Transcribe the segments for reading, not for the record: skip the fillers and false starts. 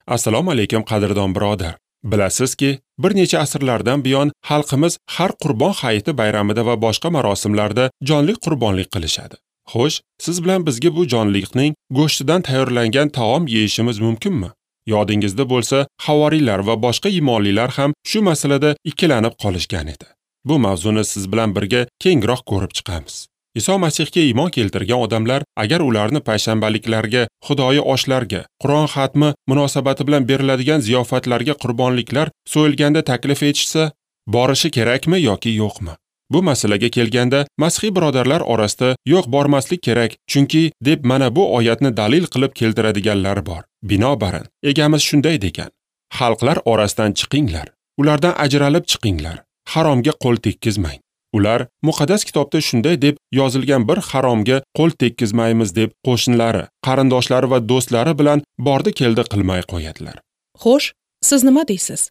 Assalomu alaykum qadrdon birodar. Bilasizki, bir necha asrlardan buyon xalqimiz har Qurbon hayiti bayramida va boshqa marosimlarda jonli qurbonlik qilishadi. Xo'sh, siz bilan bizga bu jonliqning go'shtidan tayyorlangan taom yeyishimiz mumkinmi? Yodingizda bo'lsa, havoriylar va boshqa iymonlilar ham shu masalada ikkilanib qolishgan edi. Bu mavzuni siz bilan birga kengroq ko'rib chiqamiz. Iso Masihga iymon keltirgan odamlar agar ularni payshanbaliklarga, xudoyi oshlarga, Qur'on xatmi munosabati bilan beriladigan ziyofatlarga qurbonliklar so'yilganda taklif etishsa, borishi kerakmi yoki yo'qmi? Bu masalaga kelganda masihiy birodarlar orasida yo'q, bormaslik kerak, chunki deb mana bu oyatni dalil qilib keltiradiganlar bor. Binobarin, egamiz shunday degan: xalqlar orasidan chiqinglar, ulardan ajralib chiqinglar, haromga qo'l tekkizmang. Ular muqaddas kitobda shunday deb yozilgan bir haromga qo'l tekkizmaymiz deb qo'shnilari, qarindoshlari va do'stlari bilan bordi-keldi qilmay qo'yadilar. Xo'sh, siz nima deysiz?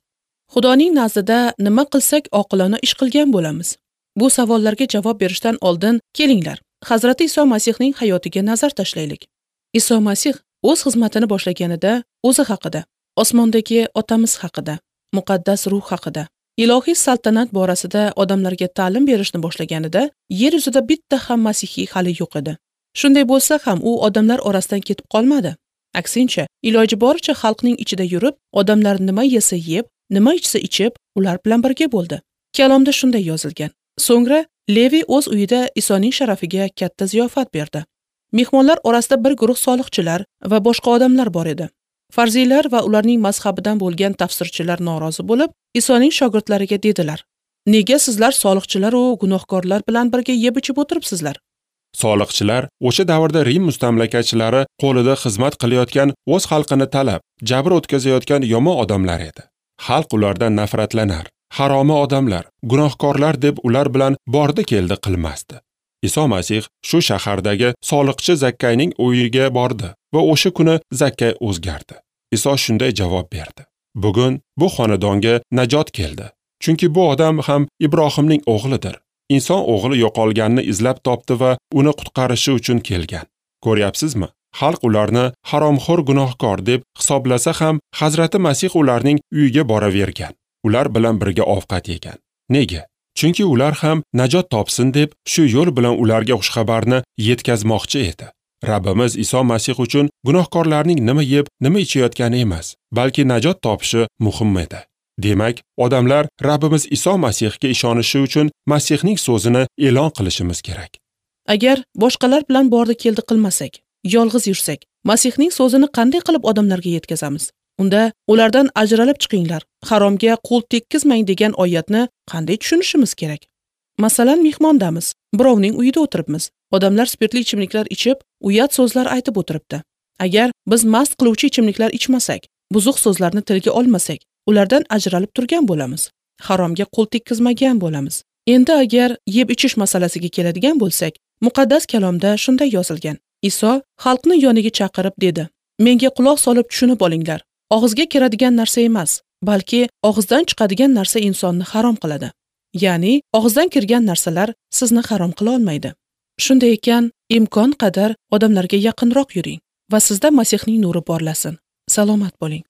Xudoning nazdida nima qilsak oqilona ish qilgan bo'lamiz? Bu savollarga javob berishdan oldin kelinglar, Hazrati Iso Masihning hayotiga nazar tashlaylik. Iso Masih o'z xizmatini boshlaganida o'zi haqida, osmondagi otamiz haqida, muqaddas ruh haqida, ilohiy saltanat borasida odamlarga ta'lim berishni boshlaganida yer yuzida bitta ham masihiy hali yo'q edi. Shunday bo'lsa ham u odamlar orasidan ketib qolmadi. Aksincha, iloji boricha xalqning ichida yurib, odamlar nima yesa yeb, nima ichsa ichib, ular bilan birga bo'ldi. Kalomda shunday yozilgan. So'ngra Levi o'z uyida Isoning sharafiga katta ziyofat berdi. Mehmonlar orasida bir guruh soliqchilar va boshqa odamlar bor edi. Farziylar va ularning mazhabidan bo'lgan tafsirchilar norozi bo'lib, Isoning shogirdlariga dedilar: "Nega sizlar soliqchilar va gunohkorlar bilan birga yeb-ichib o'tiribsizlar?" Soliqchilar o'sha davrda Rim mustamlakachilari qo'lida xizmat qilayotgan, o'z xalqini talab, jabr o'tkazayotgan yomon odamlar edi. Xalq ulardan nafratlanar. Haromi odamlar, gunohkorlar deb ular bilan bordi-keldi qilmasdi. Iso Masih shu shahardagi soliqchi Zakkayning uyiga bordi va o'sha kuni Zakkay o'zgardi. Iso shunday javob berdi: "Bugun bu xonadonga najot keldi, chunki bu odam ham Ibrohimning o'g'lidir. Inson o'g'li yo'qolganni izlab topdi va uni qutqarishi uchun kelgan." Ko'ryapsizmi? Xalq ularni haromxo'r gunohkor deb hisoblasa ham, Hazrati Masih ularning uyiga boravergan. Ular bilan birga ovqat yegan. Nega? Chunki ular ham najot topsin deb shu yo'l bilan ularga xushxabarni yetkazmoqchi edi. Rabbimiz Iso Masih uchun gunohkorlarning nima yeb, nima ichayotgani emas, balki najot topishi muhim edi. Demak, odamlar Rabbimiz Iso Masihga ishonishi uchun Masihning so'zini e'lon qilishimiz kerak. Agar boshqalar bilan bordi-keldi qilmasak, yolg'iz yursak, Masihning so'zini qanday qilib odamlarga yetkazamiz? Unda ulardan ajralib chiqinglar, haromga qo'l tekkizmang degan oyatni qanday tushunishimiz kerak? Masalan, mehmondamiz, birovning uyida o'tiribmiz. Odamlar spirtli ichimliklar ichib, uyat so'zlar aytib o'tiribdi. Agar biz mast qiluvchi ichimliklar ichmasak, buzuq so'zlarni tilga olmasak, ulardan ajralib turgan bo'lamiz. Haromga qo'l tekkizmagan bo'lamiz. Endi agar yeb ichish masalasiga keladigan bo'lsak, muqaddas kalomda shunday yozilgan. Iso xalqni yoniga chaqirib dedi: "Menga quloq solib tushunib olinglar. Og'izga kiradigan narsa emas, balki og'izdan chiqadigan narsa insonni harom qiladi." Ya'ni og'izdan kirgan narsalar sizni harom qila olmaydi. Shunday ekan, imkon qadar odamlarga yaqinroq yuring va sizda Masihning nuri porlasin. Salomat bo'ling.